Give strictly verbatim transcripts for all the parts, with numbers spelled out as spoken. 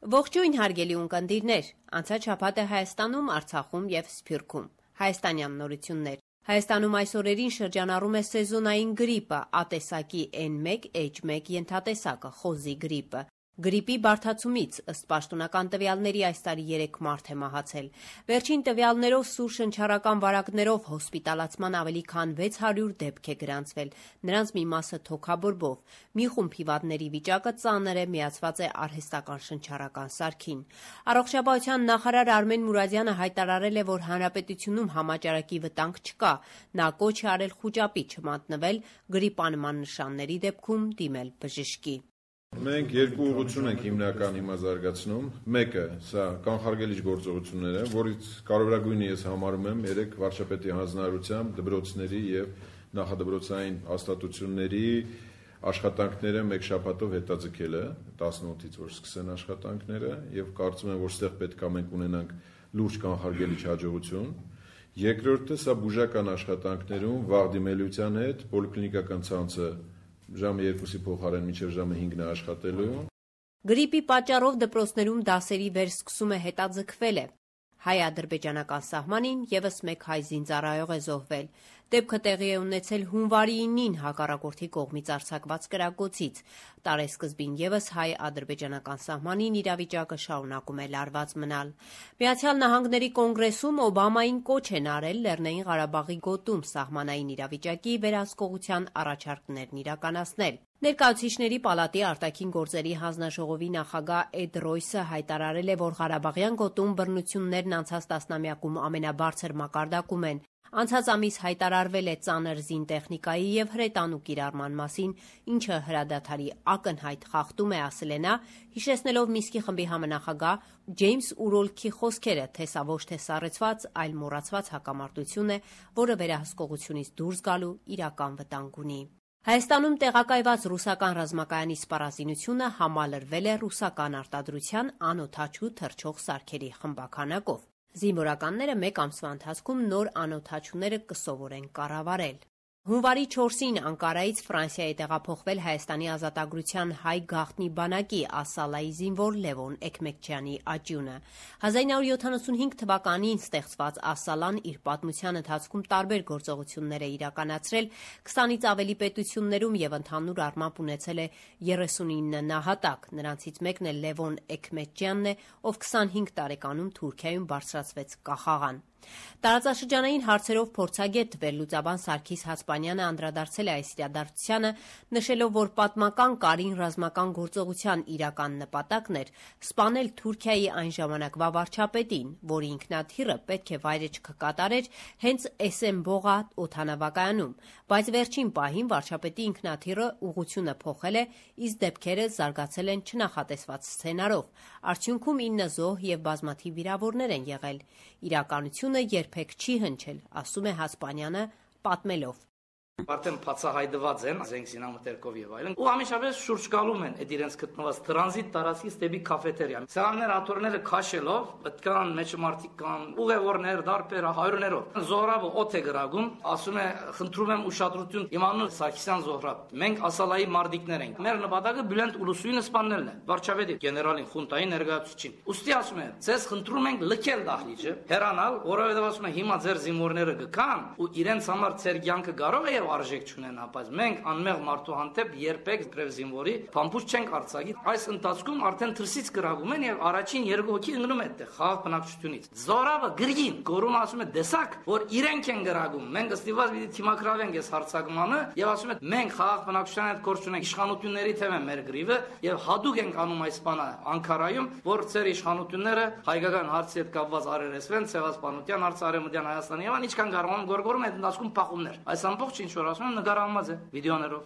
Ողջույն հարգելի ունկնդիրներ, անցած շաբաթ է Հայաստանում, Արցախում եւ Սփյուռքում։ Հայաստանյան նորություններ։ Հայաստանում այս օրերին շրջանառում է սեզոնային գրիպը, ատեսակի Էն մեկ Էյչ մեկ ենթատեսակը, խոզի գրիպը։ Գրիպի բարդացումից, ըստ պաշտոնական տվյալների, այս տարի երեք մարդ է մահացել։ Վերջին տվյալներով սուր շնչառական վարակներով հոսպիտալացման ավելի քան վեց հարյուր դեպք է գրանցվել, նրանց մի մասը թոքաբորբով։ Մի խումբ հիվանդների վիճակը ծանր է, միացված է արհեստական շնչառական սարքին։ Առողջապահության նախարար Արմեն Մուրադյանը հայտարարել է, որ հանրապետությունում համաճարակի վտանգ չկա։ Նա կոչ է արել խուճապի չմատնվել, գրիպանման նշանների դեպքում դիմել բժշկի։ Մենք երկու ուղղություն ենք հիմնական հիմա զարգացնում։ Մեկը սա կանխարգելիչ գործողություններ են, որից կարևորագույնը ես համարում եմ երեք վարչապետի հանձնարարությամբ դպրոցների եւ նախադպրոցային հաստատությունների աշխատանքները մեկ շաբաթով հետաձգելը, տասնութից որ սկսեն աշխատանքները, եւ կարծում եմ, որ ստեղ պետք է մենք ունենանք լուրջ կանխարգելիչ հաջողություն։ Երկրորդը սա բուժական աշխատանքներում վաղ դիմելիության հետ պոլիկլինիկական ցանցը ժամը երկուսի փոխարեն մինչև ժամը հինգն է աշխատելու։ Գրիպի պատճառով դպրոցներում դասերի վերսկսումը հետաձգվել է։ Հայ-ադրբեջանական սահմանին եւս մեկ հայ զինծառայող է զոհվել։ Դեպքը տեղի է ունեցել հունվարի ինին հակառակորդի կողմից արձակված կրակոցից։ Տարեսկզբին եւս հայ-ադրբեջանական սահմանին իրավիճակը շարունակում է լարված մնալ։ Միացյալ Նահանգների կոնգրեսում Օբամային կոչ են արել Լեռնային Ղարաբաղի գոտում սահմանային իրավիճակի վերահսկողության առաջարկներն իրականացնել։ Ներկայացուցիչների պալատի արտաքին գործերի հանձնաժողովի նախագահ Էդ Ռոյսը հայտարարել է, որ Ղարաբաղյան գոտում բռնություններն անցած տասնամյակում ամենաբարձր մակարդակում են։ Անցած ամիս հայտարարվել է ծանր զինտեխնիկայի եւ հրետանու կիրառման մասին, ինչը հրադադարի ակնհայտ խախտում է, ասել է նա, հիշեցնելով Մինսկի խմբի համանախագահ Ջեյմս Ուրոլքի խոսքերը, թե սա ոչ թե սառեցված, այլ մոռացված հակամարտություն է, որը վերահսկողությունից դուրս գալու իրական վտանգ ունի։ Հայաստանում տեղակայված ռուսական ռազմակայանի սպառազինությունը համալրվել է ռուսական արտադրության անօդաչու թռչող սարքերի խմբաքանակով։ Զինվորականները մեկ ամսվա ընթացքում նոր անօդաչուները կսովորեն կառավարել։ Հունվարի չորսին Անկարայից Ֆրանսիա է տեղափոխվել Հայաստանի ազատագրության հայ գաղտնի բանակի Ասալայի զինվոր Լևոն Էքմեկչյանի աջյունը։ հազար ինը հարյուր յոթանասունհինգ թվականին ստեղծված Ասալան իր պատմության ընթացքում տարբեր գործողություններ է իրականացրել քսանից ավելի պետություններում եւ ընդհանուր առմամբ ունեցել է երեսունինը նահատակ։ Նրանցից մեկն է Լևոն Էքմեկչյանն է, ով քսանհինգ տարեկանում Թուրքիայում բարձրացվեց կախաղան։ Տարածաշրջանային հարցերով փորձագետ վերլուծաբան Սարգիս Հացպանյանը անդրադարձել է այս իրադարձությանը, նշելով, որ պատմական կարին ռազմական գործողության իրական նպատակն էր սպանել Թուրքիայի այն ժամանակվա վարչապետին, որի ինքնաթիռը պետք է վայրեջք կատարեր հենց Էսենբողա օդանավակայանում, բայց վերջին պահին վարչապետի ինքնաթիռը ուղղությունը փոխել է, իսկ դեպքերը զարգացել են չնախատեսված սցենարով։ Արդյունքում ինը զոհ եւ բազմաթիվ վիրավորներ են եղել։ Իրականությունը երբեք չի հնչել, ասում է Հացպանյանը, պատմելով. Արդեն բացահայտված են զենք զինամթերքով եւ այլն, ու ամենաշաբես շուրջ գալում են այդ իրենց գտնված տրանզիտ տարածքից դեպի կաֆետերիա։ Սրաններ աթոռները քաշելով, պետք է մեջը մարդիկ կան, ուղևորներ, դարբեր, հայրներով։ Զոհրաբը օդ է գրագում, ասում է, խնդրում եմ ուշադրություն, իմանալ Սարգսյան Զոհրաբ։ Մենք Ասալայի մարտիկներ ենք։ Մեր նպատակը Բյուլենդ Ուլուսույնը սպանելն է։ Վարչապետի, գեներալին, խունտային ներկայացուցիչին։ Ուստի ասում է, ցես խնդրում ենք լքել դահլիճը, հեռանալ, որովհետեւ ասում է, հիմա ձեր զինվորները գկան ու իրենց համար ձեր կյանքը կարող է արժեք չունենա, բայց մենք անմեղ մարդու հանդեպ երբեք գրև զինվորի փամփուշտ չենք արձակի։ Այս ընթացքում արդեն թրսից գրավում են եւ առաջին երկու հոգի ընկնում է այդտեղ խաղաղ բնակչությունից։ Զորավը գրգին գորում ասում է դեսակ, որ իրենք են գրագում։ Մենք ըստիվաց պիտի թիմակրավենք այս հարցակմանը եւ ասում է մենք խաղաղ բնակչության հետ գործ ունենք, իշխանությունների թեմ է մեր գրիվը եւ հadouk ենք անում այս բանը Անկարայում, որ ծեր իշխանությունները հայկական հարցի հետ կապված արերեսվեն, ցեղասպանության հարցը Արևմտյան Հայաստանի եւ ինչքան կարող են գորգորում այդ ընթացքում փախումներ։ Այս ամբողջ ինչ որ ասում եմ նկարահանված է վիդեոներով։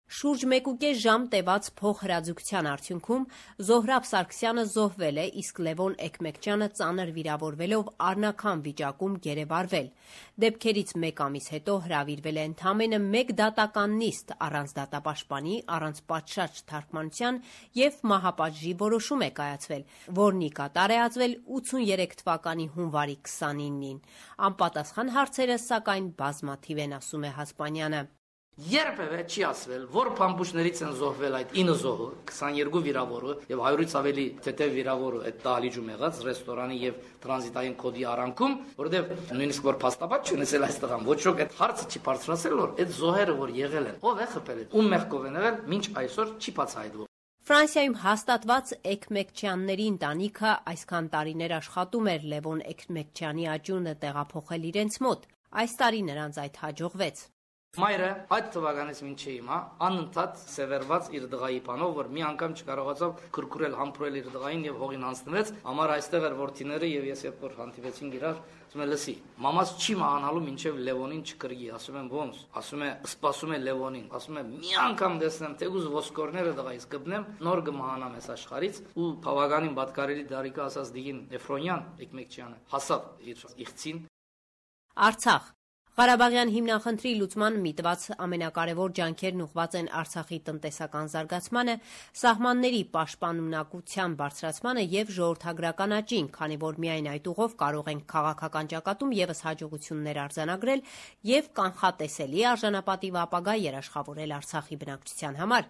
Շուրջ մեկուկես ժամ տևած փոխհրաձգության արդյունքում Զոհրաբ Սարգսյանը զոհվել է, իսկ Լևոն Էքմեկչյանը ծանր վիրավորվելով առնական վիճակում գերեվարվել։ Դեպքերից մեկ ամիս հետո հրավիրվել է ընդամենը մեկ դատական նիստ առանց դատապաշտպանի, առանց պատշաճ թարգմանության եւ մահապատժի որոշում է կայացվել, որն ի կատար է ածվել ութսուններեք թվականի հունվարի քսանինին։ Անպատասխան հարցերը, սակայն, բազմաթիվ են, ասում է Հացպանյանը։ Երբևէ չի ասվել, որ փամփուշտներից են զոհվել այդ ինը զոհը, քսաներկու վիրավորը եւ հարյուրից ավելի թեթև վիրավորը այդ դահլիճում եղած ռեստորանի եւ տրանզիտային կոդի արանքում, որովհետեւ նույնիսկ որ փաստաբաց չունեցել այս տղան, ոչ ոք այդ հարցը չի բարձրացել, որ այդ զոհերը որ եղել են, ով է խփել, ում մեղքով են եղել, մինչ այսօր չի բացահայտվում։ Ֆրանսիայում հաստատված Էքմեկչյանների ընտանիքը այսքան տարիներ աշխատում էր Լևոն Էքմեկչյանի աճյունը տեղափոխել իրենց մոտ։ Այս տարի նրանց այդ հաջողվեց։ Մայրը այդ թվականից մինչև հիմա անընդհատ սևեռված իր դղայի բանով, որ մի անգամ չկարողացավ քրքուրել համբուրել իր դղային եւ հողին անցնվեց, համար այստեղ էր որդիները եւ ես երբ որ հանդիպեցինք իրար, ասում եմ լսի, մամաս չի մահանալու մինչև Լևոնին չկրգի, ասում եմ ոնց, ասում է սպասում է Լևոնին, ասում է մի անգամ տեսնեմ, թեգուզ ոսկորները դղայից կբնեմ, նոր կմահանամ այս աշխարից ու բավականին պատկարելի դարիքը ասած Դիգին Էֆրոնյան Էքմեկչյանը հասավ իր իղծին։ Արցախ Ղարաբաղյան հիմնախնդրի լուծման միտված ամենակարևոր ջանքերն ուղղված են Արցախի տնտեսական զարգացմանը, սահմանների պաշտպանունակության բարձրացմանը եւ ժողովրդագրական աճին, քանի որ միայն այդ ուղով կարող ենք քաղաքական ճակատում եւս հաջողություններ արձանագրել եւ կանխատեսելի արժանապատիվ ապագա երաշխավորել Արցախի բնակչության համար։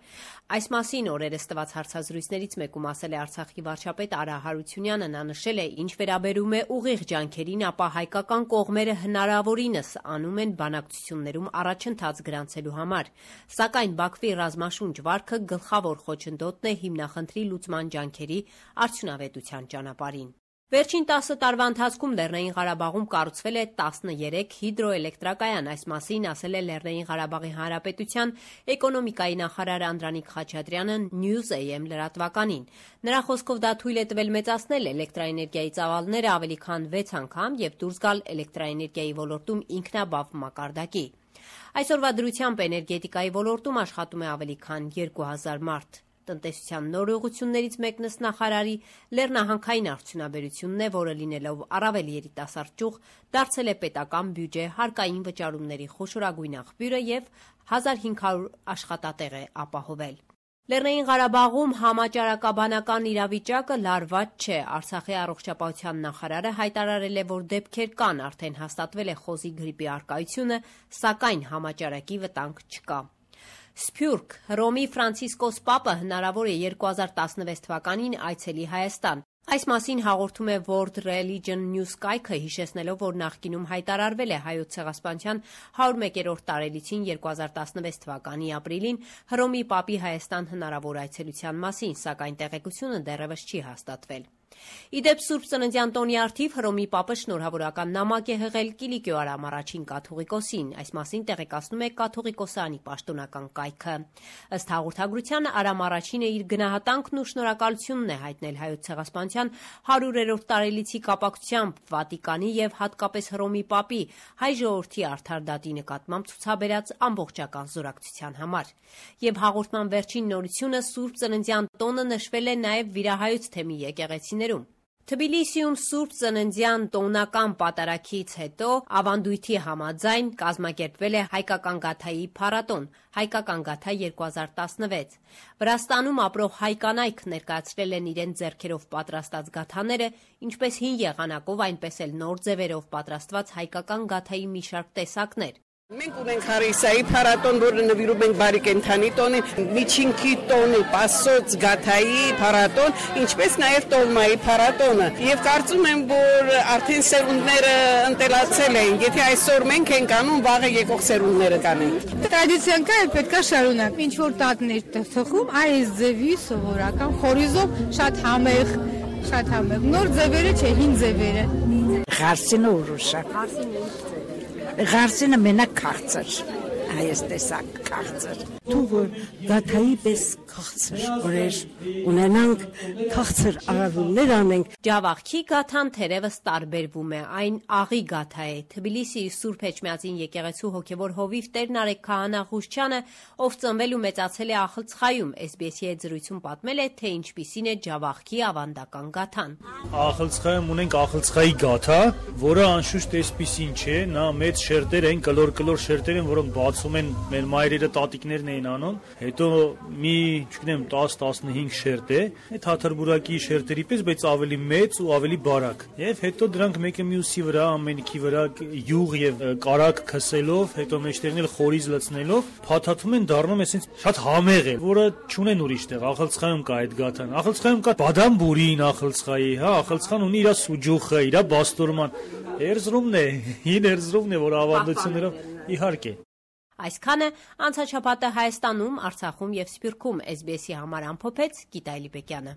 Այս մասին օրերս տված հարցազրույցներից մեկում ասել է Արցախի վարչապետ Արա Հարությունյանը, նա նշել է, ինչ վերաբերում է ուղիղ ջանքերին, ապա հայկական կողմերը հնարավորինս անում են բանակցություններում առաջընթաց գրանցելու համար, սակայն Բաքվի ռազմաշունչ վարքը գլխավոր խոչընդոտն է հիմնախնդրի լուծման ջանքերի արդյունավետության ճանապարհին։ Վերջին տասը տարվա ընթացքում Լեռնային Ղարաբաղում կառուցվել է տասներեք հիդրոէլեկտրակայան, այս մասին ասել է Լեռնային Ղարաբաղի Հանրապետության էկոնոմիկայի նախարար Անդրանիկ Խաչատրյանը News A M լրատվականին։ Նրա խոսքով դա թույլ է տվել մեծացնել էլեկտրաէներգիայի ծավալները ավելի քան վեց անգամ եւ դուրս գալ էլեկտրաէներգիայի ոլորտում ինքնաբավ մակարդակի։ Այսօրվա դրությամբ էներգետիկայի ոլորտում աշխատում է ավելի քան երկու հազար մարդ։ Տնտեսության նոր ուղղություններից մեկն ըստ նախարարի լեռնահանքային արդյունաբերությունն է, որը լինելով առավել երիտասարդ ճյուղ, դարձել է պետական բյուջե հարկային վճարումների խոշորագույն աղբյուրը եւ հազար հինգ հարյուր աշխատատեղ է ապահովել։ Լեռնային Ղարաբաղում համաճարակաբանական իրավիճակը լարված չէ։ Արցախի առողջապահության նախարարը հայտարարել է, որ դեպքեր կան, արդեն հաստատվել է խոզի գրիպի առկայությունը, սակայն համաճարակի վտանգ չկա։ Սփյուռք Հռոմի Ֆրանցիսկոս Պապը հնարավոր է երկու հազար տասնվեց թվականին այցելի Հայաստան։ Այս մասին հաղորդում է World Religion News կայքը, հիշեցնելով, որ նախկինում հայտարարվել է Հայոց ցեղասպանության հարյուր մեկերորդ տարելիցին երկու հազար տասնվեց թվականի ապրիլին Հռոմի Պապի Հայաստան հնարավոր այցելության մասին, սակայն տեղեկությունը դեռևս չի հաստատվել։ Իդեպ Սուրբ Ծննդյան տոնի առթիվ Հռոմի Պապը շնորհավորական նամակ է հղել Կիլիկիո Արամ առաջին կաթողիկոսին, այս մասին տեղեկացնում է կաթողիկոսանի պաշտոնական կայքը։ Ըստ հաղորդագրության Արամ առաջինը իր գնահատանքն ու շնորհակալությունն է հայտնել Հայոց ցեղասպանության հարյուրերորդ տարելիցի կապակցությամբ Վատիկանի եւ հատկապես Հռոմի Պապի հայ ժողովրդի արդար դատի նկատմամբ ցուցաբերած ամբողջական զորակցության համար։ Եվ հաղորդման վերջին նորությունը Սուրբ Ծննդյան տոնը նշվել է նաեւ Վիրահայոց թեմի եկեղեցիներում։ Թբիլիսիում Սուրբ Ծննդյան տոնական պատարագից հետո ավանդույթի համաձայն կազմակերպվել է հայկական գաթայի փառատոն, հայկական գաթա երկու հազար տասնվեց։ Վրաստանում ապրող հայ կանայք ներկայացրել են իրենց ձեռքերով պատրաստած գաթաները, ինչպես հին եղանակով, այնպես էլ նոր ձևերով պատրաստված հայկական գաթայի մի շարք տեսակներ։ Մենք ունենք Հարիսայի փառատոն, որը նվիրում ենք բարի կենդանի տոնին, միջինքի տոնի, Պասոց գաթայի փառատոն, ինչպես նաև տոլմայի փառատոնը։ Եվ կարծում եմ, որ արդեն սերունդները ընտելացել են, եթե այսօր մենք ենք անում, վաղը եկող սերունդները կանեն։ Տրադիցիան կա, պետք է շարունակ։ Ինչ որ տատներ թխում, այս ձևի սովորական խորիզով շատ համեղ, շատ համեղ։ Նոր ձևերը չէ, հին ձևերը։ Ղարսինը ուրուշա։ Ղարսինը Ղարսինը մենակ քաղցր, այս տեսակ քաղցր։ Դու որ գաթայի պես քաղցր օրեր ունենանք, քաղցր արարումներ անենք։ Ջավախքի գաթան թերևս տարբերվում է, այն աղի գաթա է։ Թբիլիսիի Սուրբ Էջմիածին եկեղեցու հոգևոր հովիվ Տեր Նարեկ Քահանա Ղուշչյանը, ով ծնվել ու մեծացել է Ախլցխայում, էս բի էս-ի հետ զրույցում պատմել է, թե ինչպիսին է Ջավախքի ավանդական գաթան։ Ախլցխայում ունենք Ախլցխայի գաթա, որը անշուշտ էսպիսին չէ, նա մեծ շերտեր են, կլոր-կլոր շերտեր են, որոնք բացում ասում են մեր մայրերը տատիկներն էին անում, հետո մի, չգիտեմ, տասը տասնհինգ շերտ է, այդ հաթրբուրակի շերտերի պես, բայց ավելի մեծ ու ավելի բարակ։ Եվ հետո դրանք մեկը մյուսի վրա, ամենքի վրա յուղ եւ կարակ քսելով, հետո մեջտեղն էլ խորիզ լցնելով, փաթաթում են, դառնում է այսպես շատ համեղ է, որը չունեն ուրիշ տեղ։ Ախալցխայում կա այդ գաթան։ Ախալցխայում կա բադամբուրին ախալցխայի, հա, ախալցխան ունի իր սուջուխը, իր բաստորման։ Էրզրումն է, հին Էրզրումն է, որ ավանդություններով իհարկե։ Այսքանը անցաչափատը Հայաստանում, Արցախում եւ Սփյուռքում էս բի էսի համար ամփոփեց Գիտա Էլիբեկյանը։